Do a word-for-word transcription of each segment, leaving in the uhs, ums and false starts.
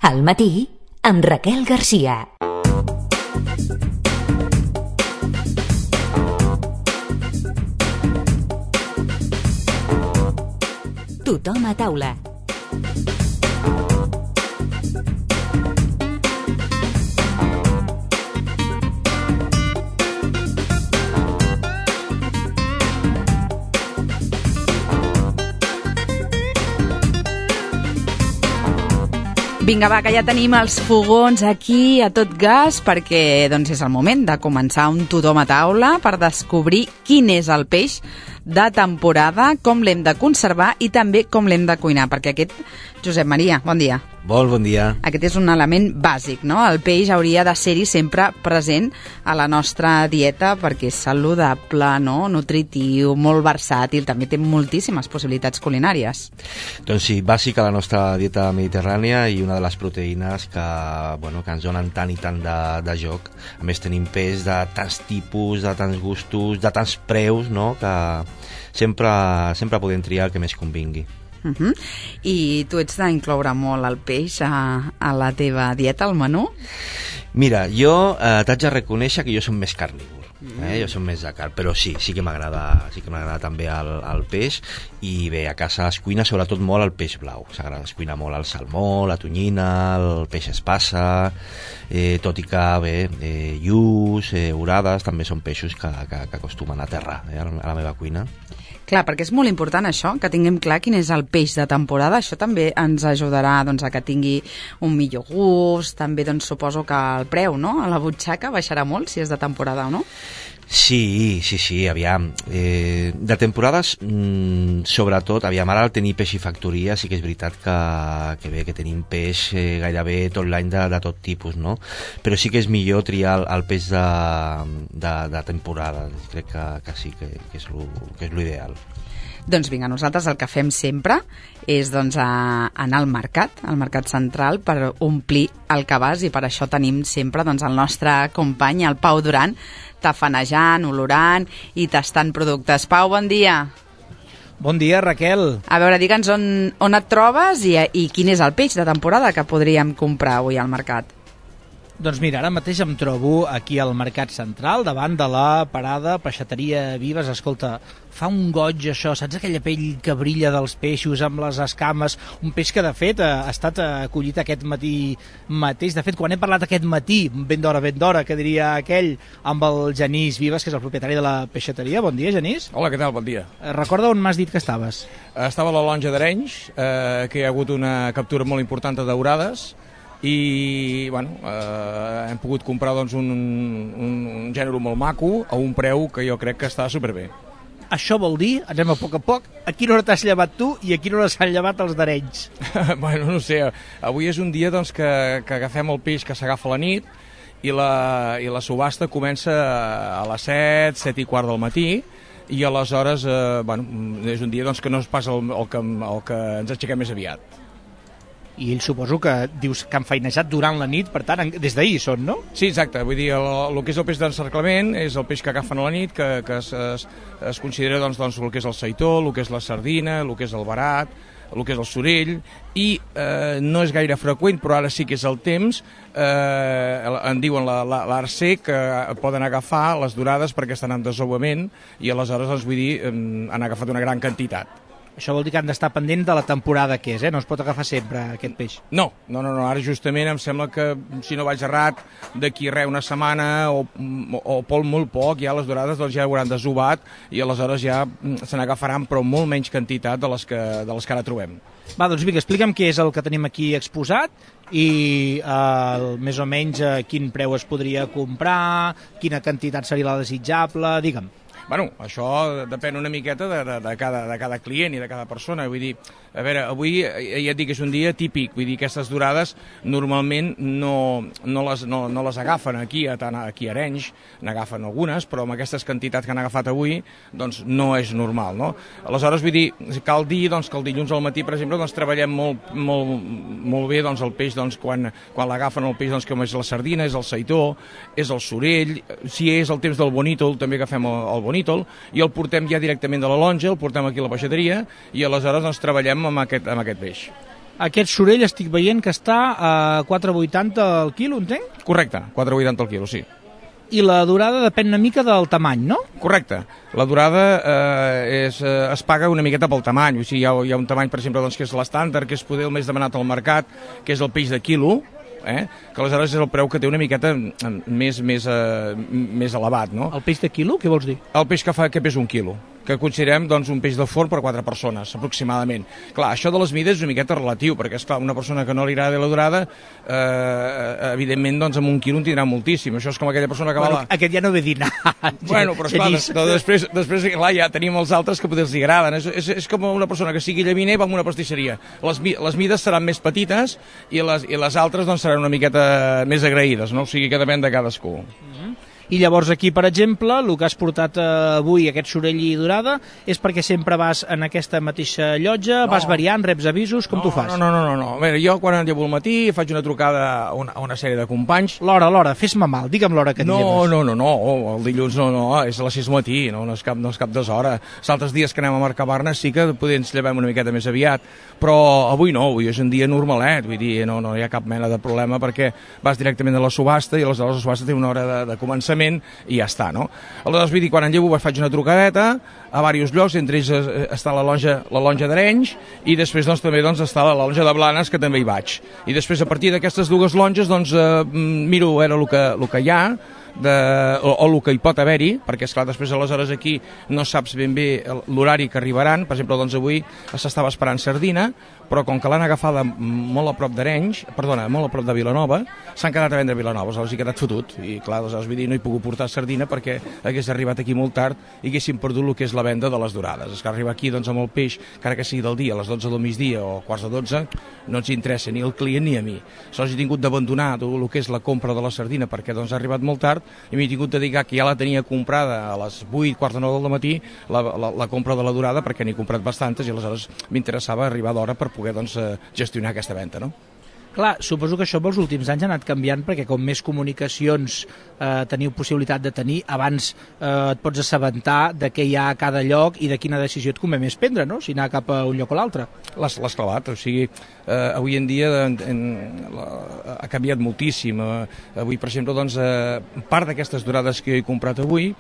Al matí, amb Raquel Garcia. Tothom a taula. Vinga, va, que ja tenim els fogons aquí a tot gas perquè doncs, és el moment de començar un tothom a taula per descobrir quin és el peix de temporada, com l'hem de conservar i també com l'hem de cuinar, perquè aquest, Josep Maria, bon dia. Molt bon dia. Aquest és un element bàsic, no? El peix hauria de ser-hi sempre present a la nostra dieta perquè és saludable, no? Nutritiu, molt versàtil, també té moltíssimes possibilitats culinàries. Doncs sí, bàsic a la nostra dieta mediterrània i una de les proteïnes que, bueno, que ens donen tant i tant de, de joc. A més tenim peix de tants tipus, de tants gustos, de tants preus, no? Que sempre, sempre podem triar el que més convingui. Uh-huh. I tu ets d'incloure molt el peix a, a la teva dieta, al menú? Mira, jo eh, t'haig de reconèixer que jo som més carnívor, eh? Jo som més de carn, però sí, sí que m'agrada sí que m'agrada també el, el peix, i bé, a casa es cuina sobretot molt el peix blau, s'agrada, es cuina molt el salmó, la tonyina, el peix espassa, eh, tot i que bé, eh, lluç, eh, orades, també són peixos que, que, que acostumen a aterrar eh, a la meva cuina. Clar, perquè és molt important això, que tinguem clar quin és el peix de temporada. Això també ens ajudarà doncs, a que tingui un millor gust, també doncs, suposo que el preu, no?, a la butxaca baixarà molt si és de temporada o no? Sí, sí, sí, aviam. Eh, de temporades, mmm, sobretot, aviam, ara al tenir peix i factoria sí que és veritat que, que bé, que tenim peix eh, gairebé tot l'any de, de tot tipus, no? Però sí que és millor triar el, el peix de, de, de temporada. Crec que, que sí, que, que és lo, que és l'ideal. Doncs vinga, nosaltres el que fem sempre és doncs, a anar al mercat, al mercat central, per omplir el cabàs, i per això tenim sempre doncs, el nostre company, el Pau Duran, tafanejant, olorant i tastant productes. Pau, bon dia. Bon dia, Raquel. A veure, digue'ns on, on et trobes i, i quin és el peix de temporada que podríem comprar avui al mercat. Doncs mira, ara mateix em trobo aquí al Mercat Central, davant de la parada Peixateria Vives. Escolta, fa un goig això, saps aquella pell que brilla dels peixos amb les escames? Un peix que, de fet, ha estat acollit aquest matí mateix. De fet, quan he parlat aquest matí, ben d'hora, ben d'hora, que diria aquell, amb el Genís Vives, que és el propietari de la peixateria. Bon dia, Genís. Hola, què tal? Bon dia. Recorda on m'has dit que estaves? Estava a la Lonja d'Arenys, eh, que hi ha hagut una captura molt important de daurades, i bueno, eh, hem pogut comprar doncs, un, un, un gènere molt maco a un preu que jo crec que està superbé. Això vol dir, anem a poc a poc, a quina hora t'has llevat tu i a quina hora s'han llevat els d'Arenys? Bueno, no sé, avui és un dia doncs, que, que agafem el peix que s'agafa a la nit i la, i la subhasta comença a les set, set i quart del matí, i aleshores eh, bueno, és un dia doncs, que no és pas el, el, que, el que ens aixequem més aviat. I ell suposo que dius que han feinejat durant la nit, per tant, des d'ahir són, no? Sí, exacte. Vull dir, el, el que és el peix d'encerclament és el peix que agafen a la nit, que, que es, es, es considera doncs, doncs, el que és el seitó, el que és la sardina, el que és el verat, el que és el sorell, i eh, no és gaire freqüent, però ara sí que és el temps, eh, en diuen l'arcer, que poden agafar les dorades perquè estan en desovament, i aleshores, doncs, vull dir, eh, han agafat una gran quantitat. Això vol dir que han d'estar pendent de la temporada que és, eh? No es pot agafar sempre aquest peix. No, no, no, no. Ara justament em sembla que, si no vaig errat, d'aquí res una setmana o, o, o pel molt poc, ja les dorades doncs, ja hauran desovat i aleshores ja se n'agafaran, però molt menys quantitat de les que, de les que ara trobem. Va, doncs vinga, explica'm què és el que tenim aquí exposat i eh, més o menys eh, quin preu es podria comprar, quina quantitat seria la desitjable, digue'm. Bueno, això depèn una miqueta de, de, de, cada, de cada client i de cada persona. Vull dir, a veure, avui ja et dic que és un dia típic, vull dir, aquestes dorades normalment no, no, les, no, no les agafen aquí, a, aquí a Arenys, n'agafen algunes, però amb aquestes quantitats que han agafat avui, doncs no és normal, no? Aleshores, vull dir, cal dir doncs, que el dilluns al matí, per exemple, doncs, treballem molt, molt, molt bé doncs, el peix, doncs, quan, quan l'agafen el peix, doncs, com és la sardina, és el seitó, és el sorell, si és el temps del bonítol, també agafem el, el bonítol, i el portem ja directament de la lonja, el portem aquí a la peixateria i aleshores doncs, treballem amb aquest, amb aquest peix. Aquest sorell estic veient que està a quatre vuitanta al quilo, entenc? Correcte, quatre vuitanta al quilo, sí. I la durada depèn una mica del tamany, no? Correcte. La durada eh, és, eh, es paga una miqueta pel tamany. O sigui, hi ha, hi ha un tamany, per exemple, doncs, que és l'estàndard, que és poder el més demanat al mercat, que és el peix de quilo, eh? Que aleshores és el preu que té una miqueta més, més, eh, més elevat, no? El peix de quilo, què vols dir? El peix que fa que pesa un quilo, que considerem doncs, un peix de forn per quatre persones, aproximadament. Clar, això de les mides és una miqueta relatiu, perquè, esclar, una persona que no li agrada la durada, eh, evidentment, doncs, amb un quilo en tindrà moltíssim. Això és com aquella persona que Bueno, va... La... aquest ja no ve dinar. Bueno, però, esclar, des, després, després, clar, ja tenim els altres que potser els agraden. És, és, és com una persona que sigui llaminer i va a una pastisseria. Les, les mides seran més petites i les, i les altres doncs, seran una miqueta més agraïdes, no? O sigui que depèn de cadascú. I llavors aquí, per exemple, el que has portat eh, avui, aquest sorell i durada, és perquè sempre vas en aquesta mateixa llotja, no. Vas variant, reps avisos, com no, tu fas? No, no, no, no, no. A veure, jo quan llevo al matí faig una trucada a una, a una sèrie de companys. L'hora, l'hora, fes-me mal, digue'm l'hora que et no, lleves. No, no, no, no, el dilluns no, no, és a les sis del matí, no, no és cap, no és cap deshora. Els altres dies que anem a Mercabarna sí que potser ens llevem una miqueta més aviat, però avui no, avui és un dia normalet, vull dir, no, no hi ha cap mena de problema perquè vas directament a la subhasta i aleshores la subhasta té una hora de, de començament i ja està, no? Aleshores, vull dir, quan en llevo faig una trucadeta a diversos llocs, entre ells està la lonja, la lonja d'Arenys i després doncs, també doncs, està la lonja de Blanes, que també hi vaig. I després, a partir d'aquestes dues longes, doncs, eh, miro a veure el que, el que hi ha, de, o, o el que hi pot haver-hi, perquè esclar, després aleshores aquí no saps ben bé l'horari que arribaran. Per exemple, doncs avui s'estava esperant sardina, però com que l'han agafada molt a prop d'Arenys, perdona, molt a prop de Vilanova, s'han quedat a vendre a Vilanova, aleshores hi ha quedat fotut, i clar, aleshores vull dir, no he pogut portar sardina perquè hagués arribat aquí molt tard i haguéssim perdut el que és la venda de les dorades. És que arribar aquí doncs, amb el peix, encara que sigui del dia, a les dotze del migdia o quarts de dotze, no ens interessa ni al client ni a mi. Aleshores he tingut d'abandonar tot el que és la compra de la sardina perquè doncs, ha arribat molt tard i m'he tingut de dir que ja la tenia comprada a les vuit, quarts de nou del matí, la, la, la compra de la dorada, perquè n'he comprat bastantes i aleshores m'interessava arribar d'hora per poder doncs, gestionar aquesta venda, no? Clar, suposo que això els últims anys ha anat canviant perquè com més comunicacions eh, teniu possibilitat de tenir, abans eh, et pots assabentar de què hi ha a cada lloc i de quina decisió et convé més prendre, no? Si anar cap a un lloc o l'altre. L'has clavat, o sigui, eh, avui en dia en, en, la, ha canviat moltíssim. Eh, avui, per exemple, doncs, eh, part d'aquestes dorades que he comprat avui,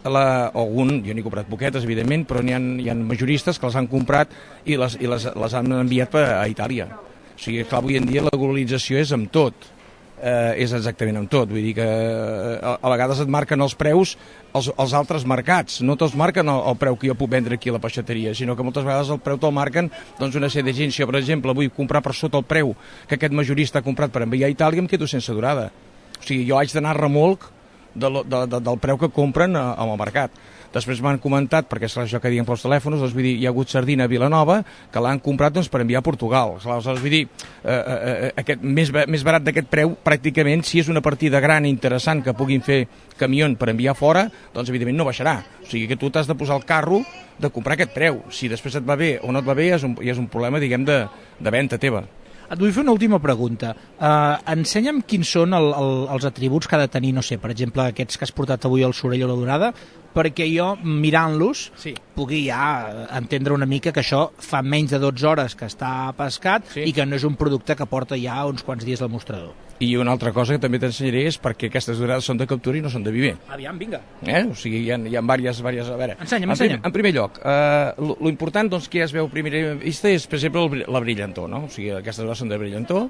La, algun, jo n'he comprat poquetes, evidentment, però n'hi ha, hi ha majoristes que les han comprat i les, i les, les han enviat a, a Itàlia. O sigui, clar, avui en dia la globalització és amb tot, eh, és exactament amb tot. Vull dir que eh, a, a vegades et marquen els preus els, els altres mercats, no te'ls marquen el, el preu que jo puc vendre aquí a la peixateria, sinó que moltes vegades el preu te'l marquen doncs, una sèrie de gent. Si jo, per exemple, vull comprar per sota el preu que aquest majorista ha comprat per enviar a Itàlia, em quedo sense durada. O sigui, jo haig d'anar a remolc De, de, de, del preu que compren al mercat. Després m'han comentat, perquè és això que diuen pels telèfons, doncs, vull dir, hi ha hagut sardina a Vilanova que l'han comprat doncs, per enviar a Portugal. Aleshores, vull dir, eh, eh, aquest, més, més barat d'aquest preu, pràcticament, si és una partida gran i interessant que puguin fer camió per enviar fora, doncs evidentment no baixarà. O sigui que tu t'has de posar el carro de comprar aquest preu. Si després et va bé o no et va bé, és un, és un problema, diguem, de, de venda teva. Et vull fer una última pregunta. Uh, ensenya'm quins són el, el, els atributs que ha de tenir, no sé, per exemple, aquests que has portat avui al sorell o la dorada, perquè jo, mirant-los, sí. pugui ja entendre una mica que això fa menys de dotze hores que està pescat sí. i que no és un producte que porta ja uns quants dies al mostrador. I una altra cosa que també t'ensenyaré és perquè aquestes dorades són de captura i no són de viver. Aviam, vinga. Eh? O sigui, hi ha, hi ha diverses, diverses... A veure, ensenya'm, en, ensenya'm. Prim, en primer lloc, eh, lo, lo important doncs, que ja es veu a primera vista és, per exemple, el, la brillantor, no? O sigui, aquestes dorades són de brillantor,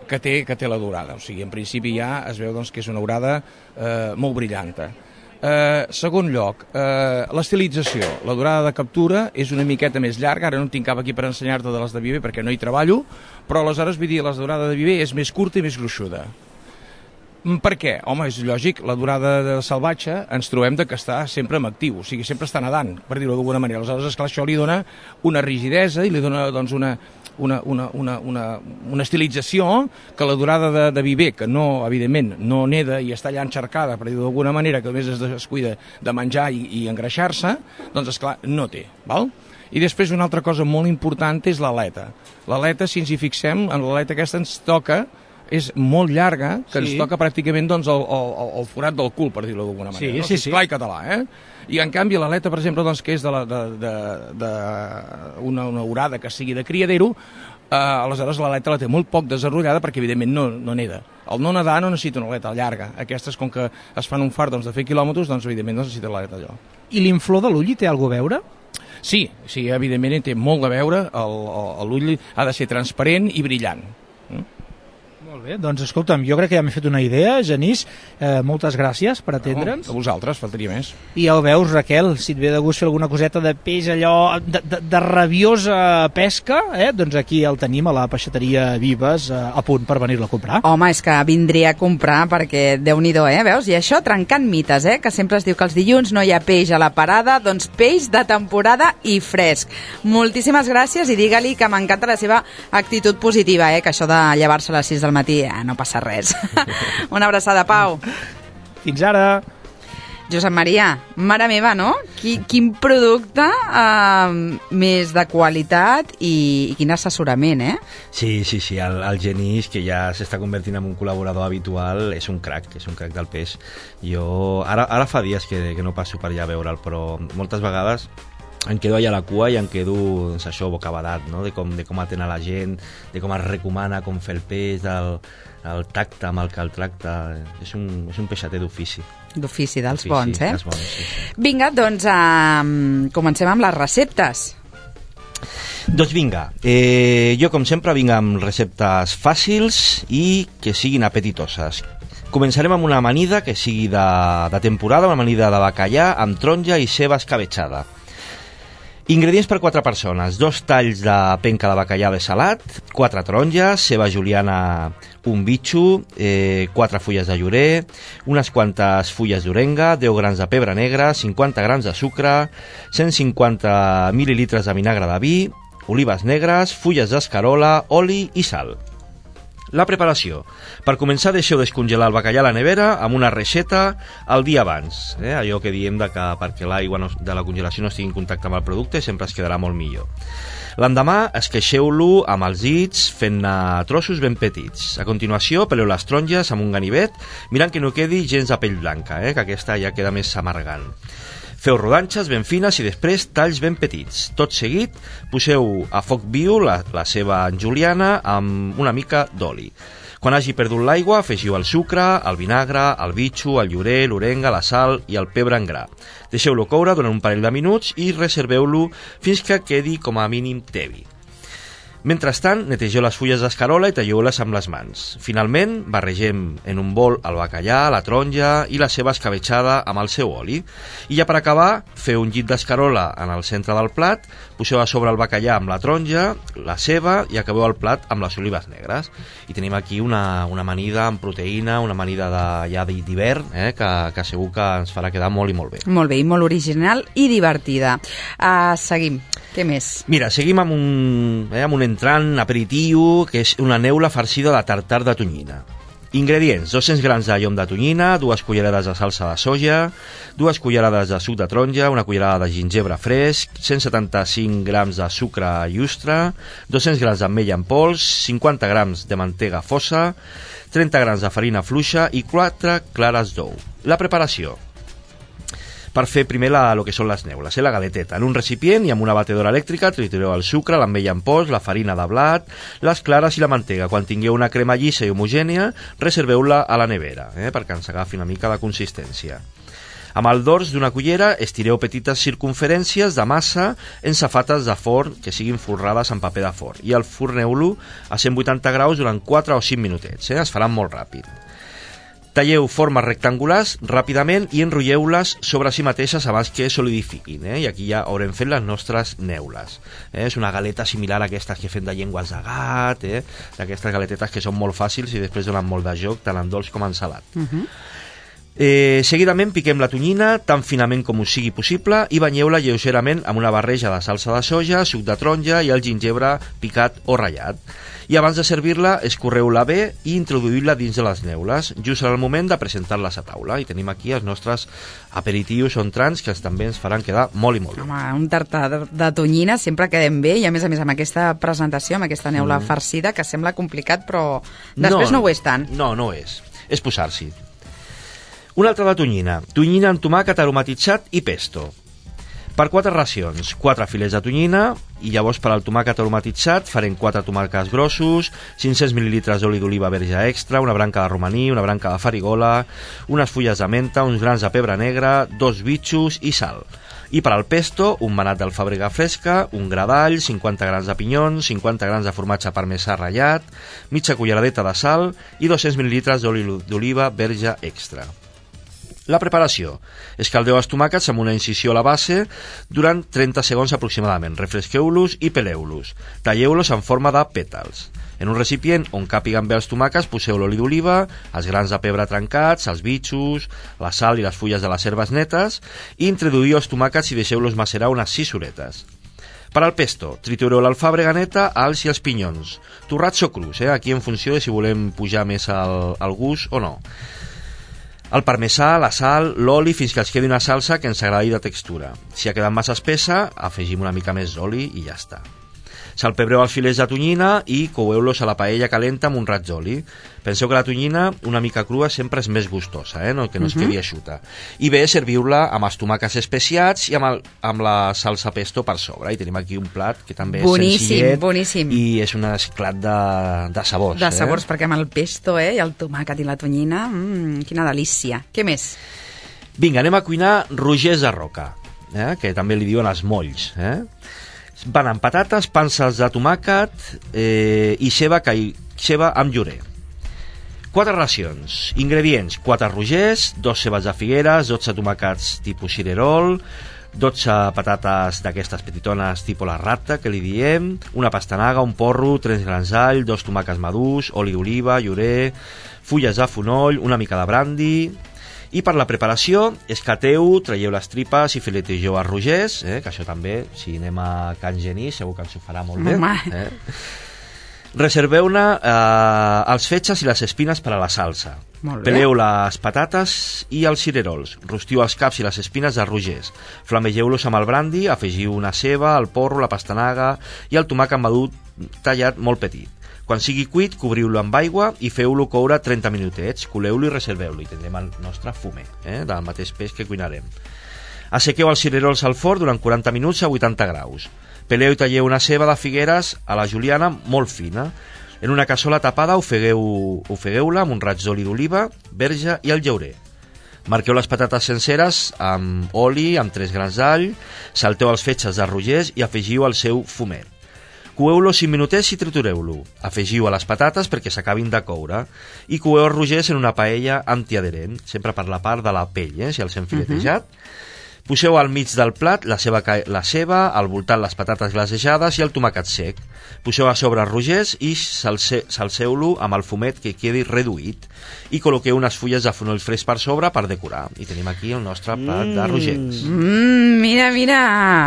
que té, que té la dorada. O sigui, en principi ja es veu doncs, que és una dorada eh, molt brillanta. Eh, segon lloc, eh, l'estilització. La durada de captura és una miqueta més llarga, ara no en tinc cap aquí per ensenyar-te de les de viver perquè no hi treballo, però aleshores vull dir, la durada de viver és més curta i més gruixuda. Per què? Home, és lògic, la durada de salvatge ens trobem de que està sempre en actiu, o sigui, sempre està nedant, per dir-ho d'alguna manera. Aleshores, esclar, això li dona una rigidesa i li dona doncs, una, una, una, una, una, una estilització que la durada de, de viver, que no, evidentment, no neda i està allà enxarcada, per dir-ho d'alguna manera, que només es descuida de menjar i, i engreixar-se, doncs, esclar, no té, val? I després una altra cosa molt important és l'aleta. L'aleta, si ens hi fixem, en l'aleta aquesta ens toca és molt llarga, que sí. ens toca pràcticament doncs, el, el, el forat del cul, per dir-ho d'alguna manera. Sí, no? sí, si sí. Clar i català, eh? I en canvi l'aleta, per exemple, doncs, que és de, la, de, de, de una, una orada que sigui de criadero, Uh, aleshores l'aleta la té molt poc desenrotllada perquè evidentment no, no neda. El no nedar no necessita una aleta llarga. Aquestes, com que es fan un fart doncs, de fer quilòmetres, doncs evidentment no necessita l'aleta allò. I l'inflor de l'ull hi té alguna cosa a veure? Sí, sí, evidentment hi té molt a veure. L'ull ha de ser transparent i brillant. Mm? Molt bé, doncs escolta'm, jo crec que ja m'he fet una idea, Genís, eh, moltes gràcies per atendre'ns. No, a vosaltres, faltaria més. I ja ho veus, Raquel, si et ve de gust fer alguna coseta de peix allò de, de, de rabiosa pesca, eh, doncs aquí el tenim a la peixateria Vives, eh, a punt per venir-la a comprar. Home, és que vindria a comprar perquè Déu-n'hi-do, eh, veus? I això trencant mites, eh, que sempre es diu que els dilluns no hi ha peix a la parada, doncs peix de temporada i fresc. Moltíssimes gràcies i digue-li que m'encanta la seva actitud positiva, eh, que això de llevar-se a les sis del matí, eh, no passa res. Una abraçada, Pau. Fins ara. Josep Maria, mare meva, no? Quin, quin producte eh, més de qualitat i, i quin assessorament, eh? Sí, sí, sí, el, el Genís, que ja s'està convertint en un col·laborador habitual, és un crac, és un crac del peix. Jo, ara, ara fa dies que, que no passo per allà a veure'l, però moltes vegades em quedo allà a la cua i em quedo, doncs, això, bocabadat, no? de, com, de com atén a la gent, de com es recomana com fer el peix, del el tacte amb el que el tracta. És un, és un peixater d'ofici. D'ofici, dels D'ofici, bons, eh? dels bons, sí, sí. Vinga, doncs uh, comencem amb les receptes. Doncs vinga, eh, jo com sempre vinc amb receptes fàcils i que siguin apetitoses. Començarem amb una amanida que sigui de, de temporada, una amanida de bacallà amb taronja i ceba escabetxada. Ingredients per quatre persones: dos talls de penca de bacallà de salat, quatre taronges, ceba juliana, un bitxo, eh, quatre fulles de llorer, unes quantes fulles d'orenga, deu grams de pebre negre, cinquanta grams de sucre, cent cinquanta mil·lilitres de vinagre de vi, olives negres, fulles d'escarola, oli i sal. La preparació. Per començar, deixeu descongelar el bacallà a la nevera amb una reixeta el dia abans. Eh? Allò que diem de que perquè l'aigua no, de la congelació no estigui en contacte amb el producte sempre es quedarà molt millor. L'endemà esqueixeu-lo amb els dits fent-ne trossos ben petits. A continuació, peleu les taronges amb un ganivet mirant que no quedi gens de pell blanca, eh? que aquesta ja queda més amargant. Feu rodanxes ben fines i després talls ben petits. Tot seguit, poseu a foc viu la, la ceba en juliana amb una mica d'oli. Quan hagi perdut l'aigua, afegiu el sucre, el vinagre, el bitxo, el llorer, l'orenga, la sal i el pebre en gra. Deixeu-lo coure durant un parell de minuts i reserveu-lo fins que quedi com a mínim tebi. Mentrestant, netegeu les fulles d'escarola i talleu-les amb les mans. Finalment, barregem en un bol el bacallà, la taronja i la ceba escabetxada amb el seu oli. I ja per acabar, feu un llit d'escarola en el centre del plat, poseu a sobre el bacallà amb la taronja, la ceba i acabeu el plat amb les olives negres. I tenim aquí una, una amanida amb proteïna, una amanida de, ja d'hivern, eh, que, que segur que ens farà quedar molt i molt bé. Molt bé, i molt original i divertida. Uh, seguim. Què més? Mira, seguim amb un, eh, amb un entrant aperitiu, que és una neula farcida de tartar de tonyina. Ingredients: dos-cents grams de llom de tonyina, dues cullerades de salsa de soja, dues cullerades de suc de taronja, una cullerada de gingebre fresc, cent setanta-cinc grams de sucre llustre, dos-cents grams d'ametlla en pols, cinquanta grams de mantega fossa, trenta grams de farina fluixa i quatre clares d'ou. La preparació. Per fer primer la, el que són les neules, eh, la galeteta. En un recipient i amb una batedora elèctrica tritureu el sucre, l'ametlla en pols, la farina de blat, les clares i la mantega. Quan tingueu una crema llisa i homogènia, reserveu-la a la nevera, eh, perquè ens agafi una mica de consistència. Amb el dors d'una cullera estireu petites circunferències de massa en safates de forn que siguin folrades en paper de forn i el forneu-lo a cent vuitanta graus durant quatre o cinc minutets, eh, es faran molt ràpid. Talleu formes rectangulars ràpidament i enrotlleu-les sobre si mateixes abans que solidifiquin, eh? I aquí ja haurem fet les nostres neules. Eh? És una galeta similar a aquestes que fem de llengües de gat, eh? D'aquestes galetetes que són molt fàcils i després donen molt de joc, tant en dolç com en salat. Uh-huh. Eh, seguidament piquem la tonyina tan finament com us sigui possible i banyeu-la lleugerament amb una barreja de salsa de soja, suc de taronja i el gingebre picat o ratllat. I abans de servir-la, escorreu-la bé i introduïu-la dins de les neules, just en el moment de presentar-les a taula. I tenim aquí els nostres aperitius o entrants que també ens faran quedar molt i molt bé. Home, un tartar de tonyina sempre quedem bé i a més a més amb aquesta presentació, amb aquesta neula mm. farcida, que sembla complicat però després no, no ho és tant. No, no ho és. És posar-s'hi. Una altra de tonyina. Tonyina amb tomàquet aromatitzat i pesto. Per quatre racions, quatre filets de tonyina, i llavors per al tomàquet aromatitzat farem quatre tomàquets grossos, cinc-cents mil·lilitres d'oli d'oliva verge extra, una branca de romaní, una branca de farigola, unes fulles de menta, uns grans de pebre negre, dos bitxos i sal. I per al pesto, un manat d'alfàbrega fresca, un gra d'all, cinquanta grams de pinyons, cinquanta grams de formatge parmesà ratllat, mitja culleradeta de sal i dos-cents mil·lilitres d'oli d'oliva verge extra. La preparació. Escaldeu els tomàquets amb una incisió a la base durant trenta segons aproximadament. Refresqueu-los i peleu-los. Talleu-los en forma de pètals. En un recipient on càpiguen bé els tomàquets poseu l'oli d'oliva, els grans de pebre trencats, els bitxos, la sal i les fulles de les herbes netes i introduïu els tomàquets i deixeu-los macerar unes sis horetes. Per al pesto, tritureu l'alfàbrega neta, alls i els pinyons. Torrats o crus, eh? Aquí en funció de si volem pujar més el, el gust o no. El parmesà, la sal, l'oli, fins que ens quedi una salsa que ens agradi de textura. Si ha quedat massa espessa, afegim una mica més d'oli i ja està. Salpebreu els filets de tonyina i coueu-los a la paella calenta amb un raig d'oli. Penseu que la tonyina, una mica crua, sempre és més gustosa, eh? No, que no es quedi eixuta. I bé, serviu-la amb els tomàquets especiats i amb, el, amb la salsa pesto per sobre. I tenim aquí un plat que també boníssim, és senzillet boníssim. I és un esclat de, de sabors. De sabors, eh? perquè amb el pesto eh, i el tomàquet i la tonyina, mmm, quina delícia. Què més? Vinga, anem a cuinar rogers de roca, eh? Que també li diuen els molls, eh? Van amb patates, panses de tomàquet eh, i ceba, cai, ceba amb llorer. Quatre racions. Ingredients: quatre rogers, dos cebes de figueres, dotze tomàquets tipus cirerol, dotze patates d'aquestes petitones tipus la rata, que li diem, una pastanaga, un porro, tres grans d'all, dos tomàquets madurs, oli d'oliva, llorer, fulles de fonoll, una mica de brandi. I per la preparació, escateu, traieu les tripes i filetegeu els rogers, eh, que això també, si anem a Can Genís, segur que ens ho farà molt bé. Eh? Reserveu-ne eh, els fetges i les espines per a la salsa. Peleu les patates i els cirerols. Rostiu els caps i les espines dels rogers. Flamegeu-los amb el brandi, afegiu una ceba, el porro, la pastanaga i el tomàquet madur tallat molt petit. Quan sigui cuit, cobriu-lo amb aigua i feu-lo coure trenta minutets. Coleu-lo i reserveu-lo i tindrem el nostre fumet, eh, del mateix peix que cuinarem. Assequeu els cirerols al forn durant quaranta minuts a vuitanta graus. Peleu i talleu una ceba de figueres a la juliana molt fina. En una cassola tapada ofegueu, ofegueu-la amb un raig d'oli d'oliva, verge i el llaurer. Marqueu les patates senceres amb oli, amb tres grans d'all, salteu els fetges de rogers i afegiu el seu fumet. Coeu-lo cinc minutets i tritureu-lo. Afegiu a les patates perquè s'acabin de coure i coeu els rogers en una paella antiadherent, sempre per la part de la pell, eh, si els hem filetejat. Uh-huh. Poseu al mig del plat la ceba, la ceba, al voltant les patates glasejades i el tomàquet sec. Poseu a sobre els rogers i salse, salseu-lo amb el fumet que quedi reduït i col·loqueu unes fulles de fonoll fresc per sobre per decorar. I tenim aquí el nostre plat mm. de rogers. Mm, mira, mira!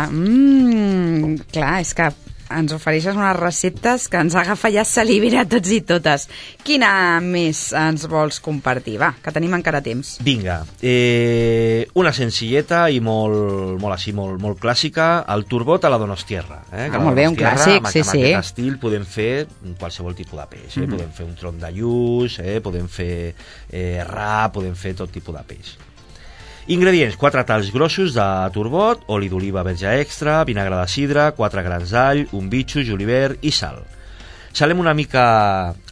Mm, clar, és que ens ofereixes unes receptes que ens agafa ja salivera a tots i totes. Quina més ens vols compartir? Va, que tenim encara temps. Vinga, eh, una senzilleta i molt, molt així, molt, molt clàssica, el turbot a la Donostierra. Eh? Ah, molt bé, un clàssic, sí, sí. Amb aquest estil podem fer qualsevol tipus de peix. Eh? Mm-hmm. Podem fer un tronc de lluç, eh? Podem fer eh, ra, podem fer tot tipus de peix. Ingredients: quatre talls grossos de turbot, oli d'oliva verge extra, vinagre de sidra, quatre grans d'all, un bitxo, julivert i sal. Salem una mica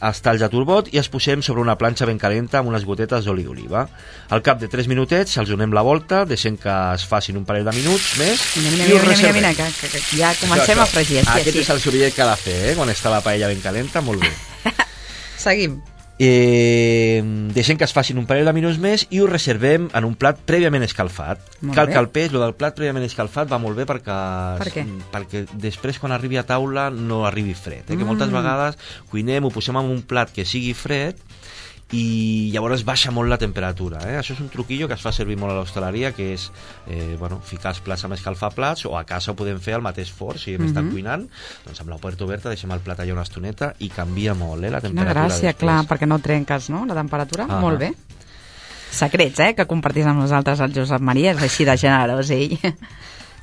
els talls de turbot i els posem sobre una planxa ben calenta amb unes gotetes d'oli d'oliva. Al cap de tres minutets els donem la volta, deixem que es facin un parell de minuts més mira, mira, i mira, us mira, mira, que, que, que ja comencem això, això. a fregir. Sí, Aquest sí. és el sorollet que ha de fer, eh? Quan està la paella ben calenta, molt bé. Seguim. Eh, deixem que es facin un parell de minuts més i ho reservem en un plat prèviament escalfat. Molt Cal bé. que el peix, lo del plat prèviament escalfat va molt bé perquè, Per què? perquè després quan arribi a taula no arribi fred, eh? Que Mm. moltes vegades cuinem, ho posem en un plat que sigui fred i llavors baixa molt la temperatura, eh? Això és un truquillo que es fa servir molt a l'hostaleria, que és eh, bueno, ficar els plats amb escalfaplats, o a casa ho podem fer al mateix forn si hem Mhm. estat cuinant, doncs amb la porta oberta deixem el plat allà una estoneta i canvia molt, eh, la Quina temperatura gràcia, després. clar, perquè no trenques, no?, la temperatura. Ah. Molt bé. Secrets, eh?, que compartís amb nosaltres el Josep Maria, és així de generós, ell.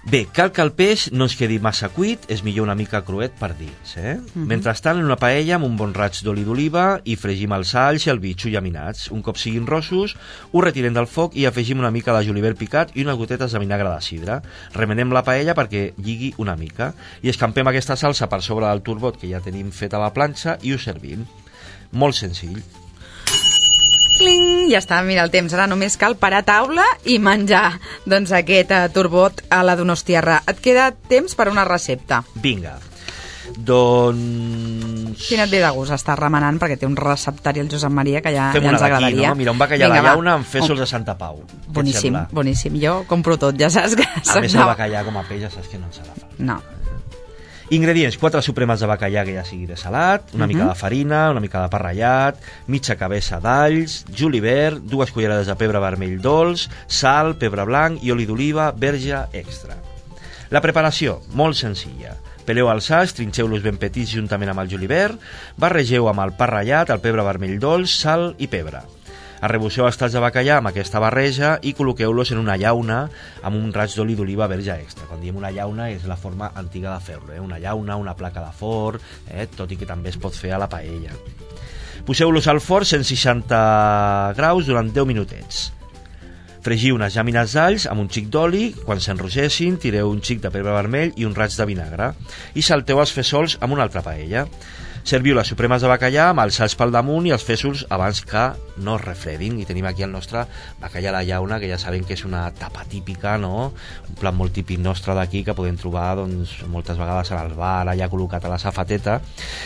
Bé, cal que el peix no ens quedi massa cuit, és millor una mica cruet per dins. Eh? Uh-huh. Mentrestant, en una paella amb un bon raig d'oli d'oliva hi fregim els alls i el bitxo llaminats. Un cop siguin rossos, ho retirem del foc i afegim una mica de julivert picat i unes gotetes de vinagre de sidra. Remenem la paella perquè lligui una mica i escampem aquesta salsa per sobre del turbot que ja tenim fet a la planxa i ho servim. Molt senzill. Cling! Ja està, mira el temps. Ara només cal parar taula i menjar doncs, aquest uh, turbot a la donostiarra. Et queda temps per una recepta. Vinga. Doncs... Quin et ve de gust? Està remenant perquè té un receptari el Josep Maria que ja, Fem ja ens una d'aquí, agradaria. no? Mira, un bacallà a la llauna amb fèsols de Santa Pau. Boníssim, boníssim. Jo compro tot, ja saps que... A més, el bacallà com a peix ja saps que no ens ha de faltar. No. Ingredients: quatre supremes de bacallà que ja sigui de salat, una uh-huh. mica de farina, una mica de pa ratllat, mitja cabeça d'alls, julivert, dues cullerades de pebre vermell dolç, sal, pebre blanc i oli d'oliva verge extra. La preparació, molt senzilla. Peleu els alls, trinxeu-los ben petits juntament amb el julivert, barregeu amb el pa ratllat, el pebre vermell dolç, sal i pebre. Arrebosseu els talls de bacallà amb aquesta barreja i col·loqueu-los en una llauna amb un raig d'oli d'oliva verge extra. Quan diem una llauna és la forma antiga de fer-lo, eh? Una llauna, una placa de forn, eh? Tot i que també es pot fer a la paella. Poseu-los al forn cent seixanta graus durant deu minutets. Fregiu unes llàmines d'alls amb un xic d'oli, quan s'enrogessin tireu un xic de pebre vermell i un raig de vinagre i salteu els fesols amb una altra paella. Serviu les supremes de bacallà amb els salts pel damunt i els fesols abans que no es refredin. I tenim aquí el nostre bacallà a la llauna, que ja sabem que és una tapa típica, no? Un plat molt típic nostre d'aquí que podem trobar doncs, moltes vegades al bar, allà col·locat a la safateta,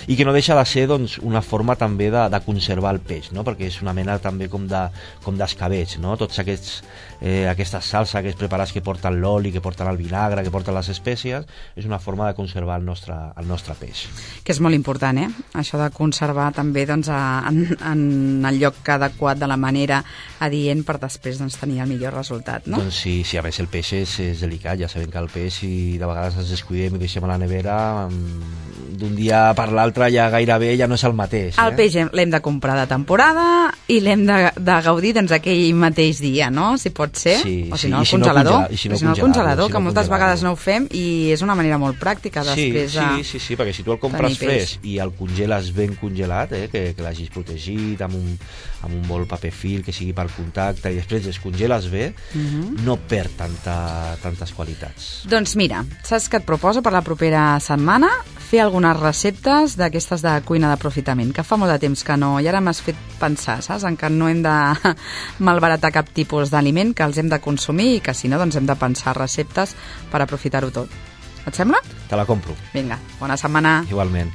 i que no deixa de ser doncs, una forma també de, de conservar el peix, no? Perquè és una mena també com de com d'escabeig, no? Tots aquests eh, aquestes salsa, aquests preparats que porten l'oli, que porten el vinagre, que porten les espècies, és una forma de conservar el nostre, el nostre peix. Que és molt important, eh? Això de conservar també doncs, a, en, en el lloc adequat, de la manera adient, per després doncs, tenir el millor resultat, no? Doncs sí, sí, a més el peix és, és delicat, ja sabem que el peix, si de vegades ens descuidem i deixem a la nevera, d'un dia per l'altre ja gairebé ja no és el mateix. Eh? El peix l'hem de comprar de temporada i l'hem de, de gaudir doncs, aquell mateix dia, no? Si pot ser, sí, o si sí, no, al si congelador, no, si no, si no, al congelador, si no que moltes congelar-lo. vegades no ho fem i és una manera molt pràctica després sí, de... Sí, sí, sí, perquè si tu el compres fresc i el congeles ben congelat, eh, que, que l'hagis protegit amb un, amb un bol paper fil que sigui per contacte i després descongeles bé, uh-huh. no perd tanta, tantes qualitats. Doncs mira, saps què et proposo per la propera setmana? Fer algunes receptes d'aquestes de cuina d'aprofitament, que fa molt de temps que no, i ara m'has fet pensar, saps? En que no hem de malbaratar cap tipus d'aliment, que els hem de consumir i que si no doncs hem de pensar receptes per aprofitar-ho tot. Et sembla? Te la compro. Vinga, bona setmana. Igualment.